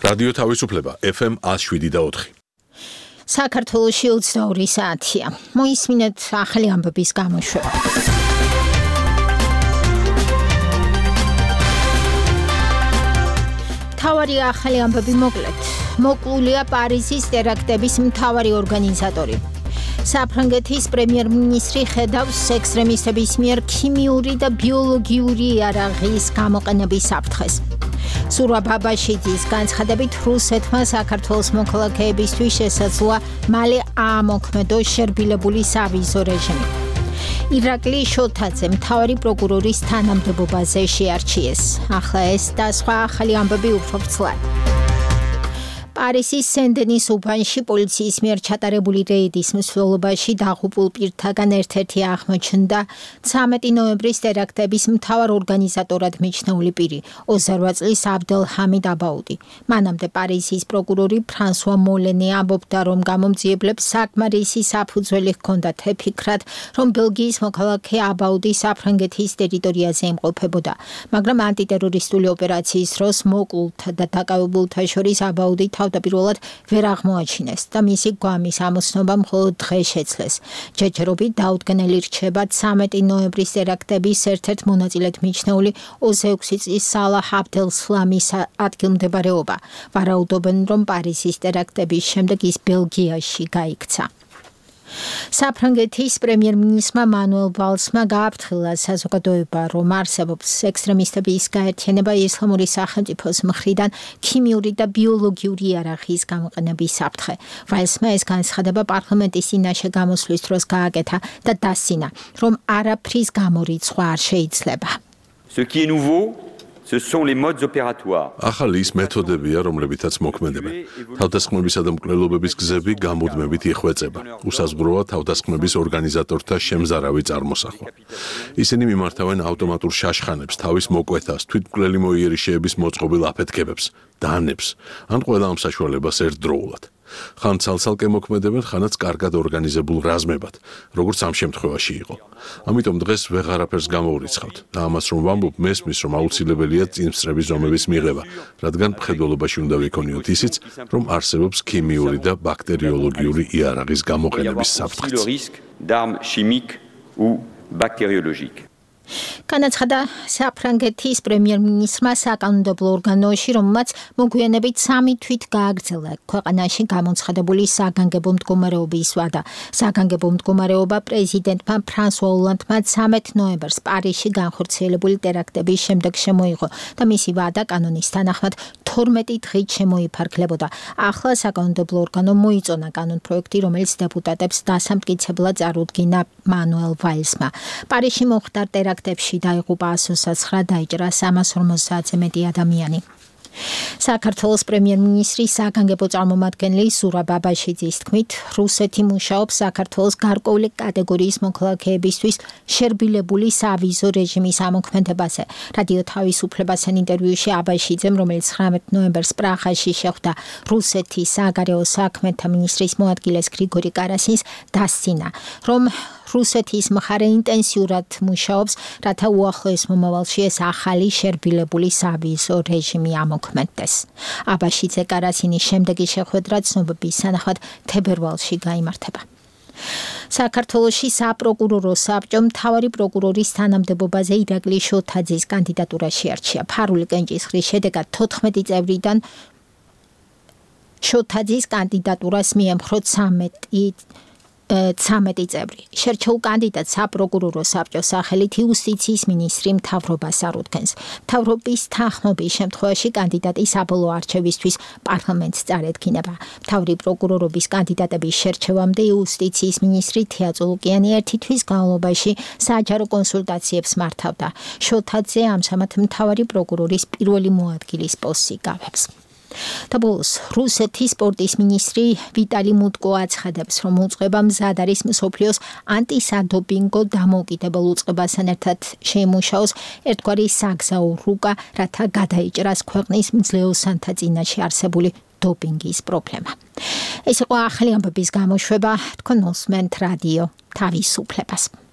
რადიო თავისუფლება FM 107.4. საქართველოში 22 საათია. მოისმინეთ ახალი ამბების გამოშვება. მთავარი ახალი ამბები მოკლედ. მოკლულია პარიზის ტერაქტების მთავარი ორგანიზატორი. საფრანგეთის პრემიერ-მინისტრი ხედავს ექსტრემისტების მიერ ქიმიური და ბიოლოგიური იარაღის გამოყენების საფრთხეს. სურა ბაბაშიძის განცხადებით რუსეთმა საქართველოს მოქალაქეებისთვის შესაძლოა მალე აამოქმედოს შერბილებული სავიზო რეჟიმი. ირაკლი შოთაძე მთავარი პროკურორის თანამდებობაზე შეარჩიეს. ახლა ეს და სხვა ახალი ამბები უფრო ვრცლად. პარიზის სენ-დენის უბანში პოლიციის მიერ ჩატარებული რეიდის მსვლელობაში დაღუპულ პირთაგან ერთ-ერთი აღმოჩნდა 13 ნოემბრის ტერაქტების მთავარ ორგანიზატორად მიჩნეული პირი, 28 წლის აბდელჰამიდ აბაუდი. მანამდე პარიზის პროკურორი ფრანსუა მოლენი ამბობდა, რომ გამომძიებლებს საკმარისი საფუძველი ჰქონდათ აფიქრათ, რომ ბელგიის მოქალაქე აბაუდი საფრანგეთის ტერიტორიაზე იმყოფებოდა, მაგრამ ანტიტერორისტული ოპერაციის დროს მოკლულთა და დაკავებულთა შორის აბაუდი თავდაპირველად ვერ აღმოაჩინეს და მისი გვამის ამოცნობა მხოლოდ დღეს შეძლეს. ჯერჯერობით დაუდგენელი რჩება 13 ნოემბრის ტერაქტების ერთ-ერთ მონაწილედ მიჩნეული 26 წლის საlah აბდელსლამის ადგილმდებარეობა. ვარაუდობენ, რომ პარიზის ტერაქტების შემდეგ ის ბელგიაში გაიქცა. საფრანგეთის პრემიერ-მინისტრმა მანუელ ვალსმა გააფრთხილა საზოგადოება, რომ არსებობს ექსტრემისტების გაერთიანება ისლამური სახელმწიფოს მხრიდან ქიმიური და ბიოლოგიური იარაღის გამოყენების საფრთხე. ვალსმა ეს განცხადება პარლამენტის წინაშე გამოსვლის დროს გააკეთა და დასცინა, რომ არაფრის გამორიცხვა არ შეიძლება. Ce qui est nouveau, ce sont les modes opératoires. ახალი ის მეთოდებია, რომლებითაც მოქმედებენ. თავდასხმებისა და მკვლელობების გზები გამუდმებით იხვეწება. უსაზღვროა თავდასხმების ორგანიზატორთა შემზარავი წარმოსახვა. ისინი მიმართავენ ავტომატურ შაშხანებს, თავის მოკვეთას, თვითმკვლელი მოიერიშეების მოწყობილ აფეთქებებს, დანებს, ან ყველა ამ საშუალებას ერთდროულად. ხან ცალ-ცალკე მოქმედებენ, ხანაც კარგად ორგანიზებულ რაზმებად, როგორც ამ შემთხვევაში იყო. ამიტომ დღეს ვეღარაფერს გამოვრიცხავთ და ამას რომ ვამბობ, მესმის, რომ აუცილებელია წინსწრების ზომების მიღება, რადგან მხედველობაში უნდა ვიქონიოთ ისიც, რომ არსებობს ქიმიური და ბაქტერიოლოგიური იარაღის გამოყენების საფრთხეც. განაცხადა საფრანგეთის პრემიერ-მინისტრმა საკანონმდებლო ორგანოში, რომელმაც მოგვიანებით 3 თვით გააგრძელა ქვეყანაში გამოცხადებული საგანგებო მდგომარეობის ვადა. საგანგებო მდგომარეობა პრეზიდენტმა ფრანსუა ოლანდმა 13 ნოემბერს პარიზში განხორციელებული ტერაქტების შემდეგ შემოიღო და მისი ვადა კანონის თანახმად 12 დღით შემოიფარგლებოდა. ახლა საკანონმდებლო ორგანომ მოიწონა კანონპროექტი, რომელიც დეპუტატებს დასამტკიცებლად წარუდგინა მანუელ ვალსმა. პარიზში მოხდა ტერაქტებში დაიღუპა 129, დაიჭრა 350-ზე მეტი ადამიანი. საქართველოს პრემიერ-მინისტრის საგანგებო წარმომადგენელი სურა ბაბაშიძის თქმით, რუსეთი მუშაობს საქართველოს გარკვეული კატეგორიის მოქალაქეებისთვის შერბილებული სავიზო რეჟიმის ამოქმედებაზე. რადიო თავისუფლებასთან ინტერვიუში აბაშიძემ, რომელიც 19 ნოემბერს პრაღაში შეხვდა რუსეთის საგარეო საქმეთა მინისტრის მოადგილეს გრიგორი კარასინს, დასცინა, რომ რუსეთის მხარე ინტენსიურად მუშაობს, რათა უახლოეს მომავალში ეს ახალი შერბილებული სავიზო რეჟიმი ამოქმედდეს. აბაშიძე კარასინის შემდეგი შეხვედრა ცნობების თანახმად თებერვალში გაიმართება. საქართველოში საპროკურორო საბჭომ მთავარი პროკურორის თანამდებობაზე ირაკლი შოთაძის კანდიდატურა შეარჩია. ფარული კენჭისყრის შედეგად 14 წევრიდან შოთაძის კანდიდატურას მიემხრო 13 წევრი. შერჩეულ კანდიდატს საპროკურორო საბჭოს სახელით იუსტიციის მინისტრი მთავრობას არუდგენს. მთავრობის თანხმობის შემთხვევაში კანდიდატი საბოლოო არჩევისთვის პარლამენტს წარედგინება. მთავარი პროკურორობის კანდიდატების შერჩევამდე იუსტიციის მინისტრი თია წულუკიანი 1 თვის განმავლობაში საჯარო კონსულტაციებს მართავდა. შოთაძე ამჟამად მთავარი პროკურორის პირველი მოადგილის პოსტს იკავებს. და ბოლოს რუსეთის სპორტის მინისტრი ვიტალი მუტკო აცხადებს, რომ უწყება მზად არის მსოფლიოს ანტისადოპინგო დამოუკიდებელ უწყებასთან ერთად შეიმუშაოს ერთგვარი საგზაო რუკა, რათა გადაიჭრას ქვეყნის მძლეოსანთა წინაშე არსებული დოპინგის პრობლემა. ეს იყო ახალი ამბების გამოშვება, თქვენ მოსმენთ რადიო თავისუფლებას.